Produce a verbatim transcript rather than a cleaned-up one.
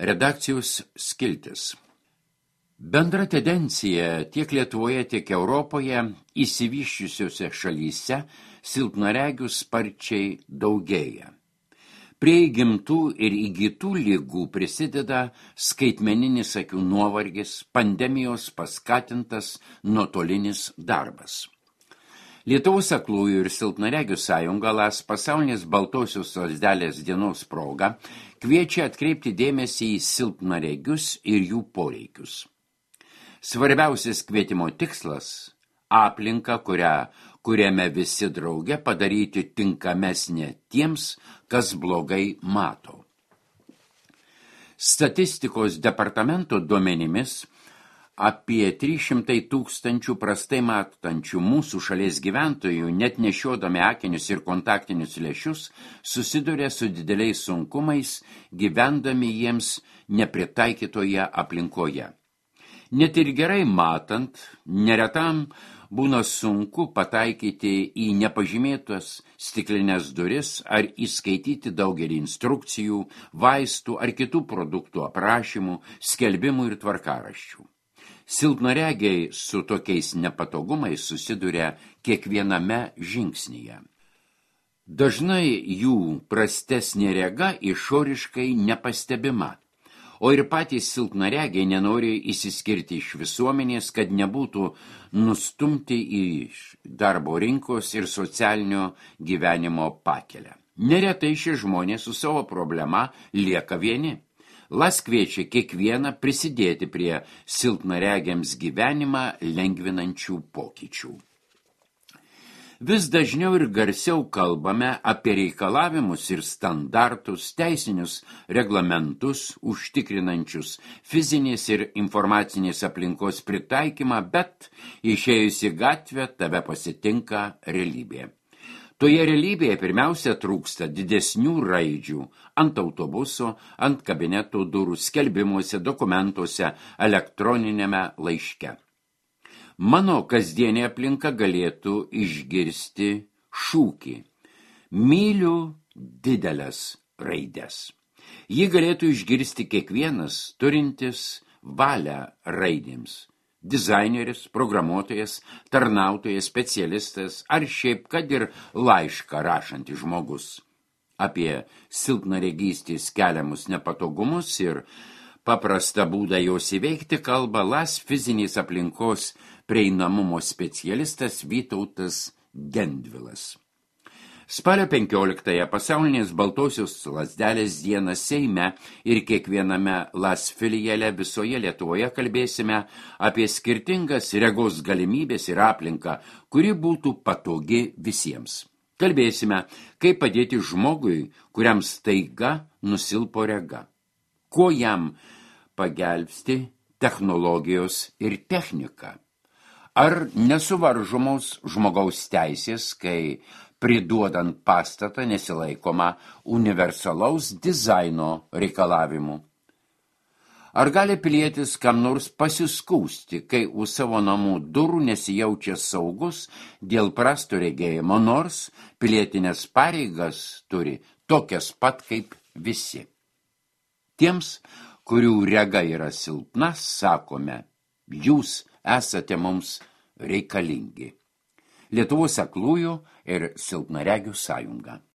Redakcijos skiltis. Bendra tendencija tiek Lietuvoje, tiek Europoje išsivysčiusiose šalyse silpnaregių sparčiai daugėja. Prie įgimtų ir įgytų ligų prisideda skaitmeninis akių nuovargis, pandemijos paskatintas nuotolinis darbas. Lietuvos aklųjų ir silpnaregių sąjunga LAS pasaulinės baltosios lazdelės dienos proga kviečia atkreipti dėmesį į silpnaregius ir jų poreikius. Svarbiausias kvietimo tikslas – aplinka, kurią kuriame visi drauge padaryti tinkamesnė tiems, kas blogai mato. Statistikos departamento duomenimis apie trys šimtai tūkstančių prastai matančių mūsų šalies gyventojų, net nešiodami akinius ir kontaktinius lęšius, susiduria su dideliais sunkumais, gyvendami jiems nepritaikytoje aplinkoje. Net ir gerai matant, neretam būna sunku pataikyti į nepažymėtas stiklinės duris ar įskaityti daugelį instrukcijų, vaistų ar kitų produktų aprašymų, skelbimų ir tvarkaraščių. Silpnaregiai su tokiais nepatogumais susiduria kiekviename žingsnyje. Dažnai jų prastesnė rega išoriškai nepastebima, o ir patys silpnaregiai nenori išsiskirti iš visuomenės, kad nebūtų nustumti iš darbo rinkos ir socialinio gyvenimo pakelę. Neretai šie žmonės su savo problema lieka vieni. LAS kviečia kiekvieną prisidėti prie silpnaregiams gyvenimą lengvinančių pokyčių. Vis dažniau ir garsiau kalbame apie reikalavimus ir standartus, teisinius reglamentus, užtikrinančius fizinės ir informacinės aplinkos pritaikymą, bet išėjus į gatvę tave pasitinka realybė. Toje realybėje pirmiausia trūksta didesnių raidžių ant autobuso, ant kabineto durų, skelbimuose, dokumentuose, elektroninėme laiške. Mano kasdienė aplinka galėtų išgirsti šūkį. Myliu didelės raidės. Ji galėtų išgirsti kiekvienas turintis valią raidėms. Dizaineris, programuotojas, tarnautojas, specialistas ar šiaip kad ir laišką rašantis žmogus. Apie silpnaregystės keliamus nepatogumus ir paprastą būdą jos įveikti kalba LAS fizinės aplinkos prieinamumo specialistas Vytautas Gendvilas. Spalio penkioliktąją pasaulinės baltosios lazdelės dieną Seime ir kiekviename LAS filiale visoje Lietuvoje kalbėsime apie skirtingas regos galimybės ir aplinką, kuri būtų patogi visiems. Kalbėsime, kaip padėti žmogui, kuriam staiga nusilpo rega. Ko jam pagelbsti technologijos ir technika? Ar nesuvaržomos žmogaus teisės, kai priduodant pastatą nesilaikoma universalaus dizaino reikalavimų? Ar gali pilietis kam nors pasiskųsti, kai už savo namų durų nesijaučia saugus dėl prasto regėjimo, nors pilietinės pareigas turi tokias pat kaip visi? Tiems, kurių rega yra silpna, sakome, jūs esate mums reikalingi. Lietuvos aklųjų ir silpnaregių sąjunga.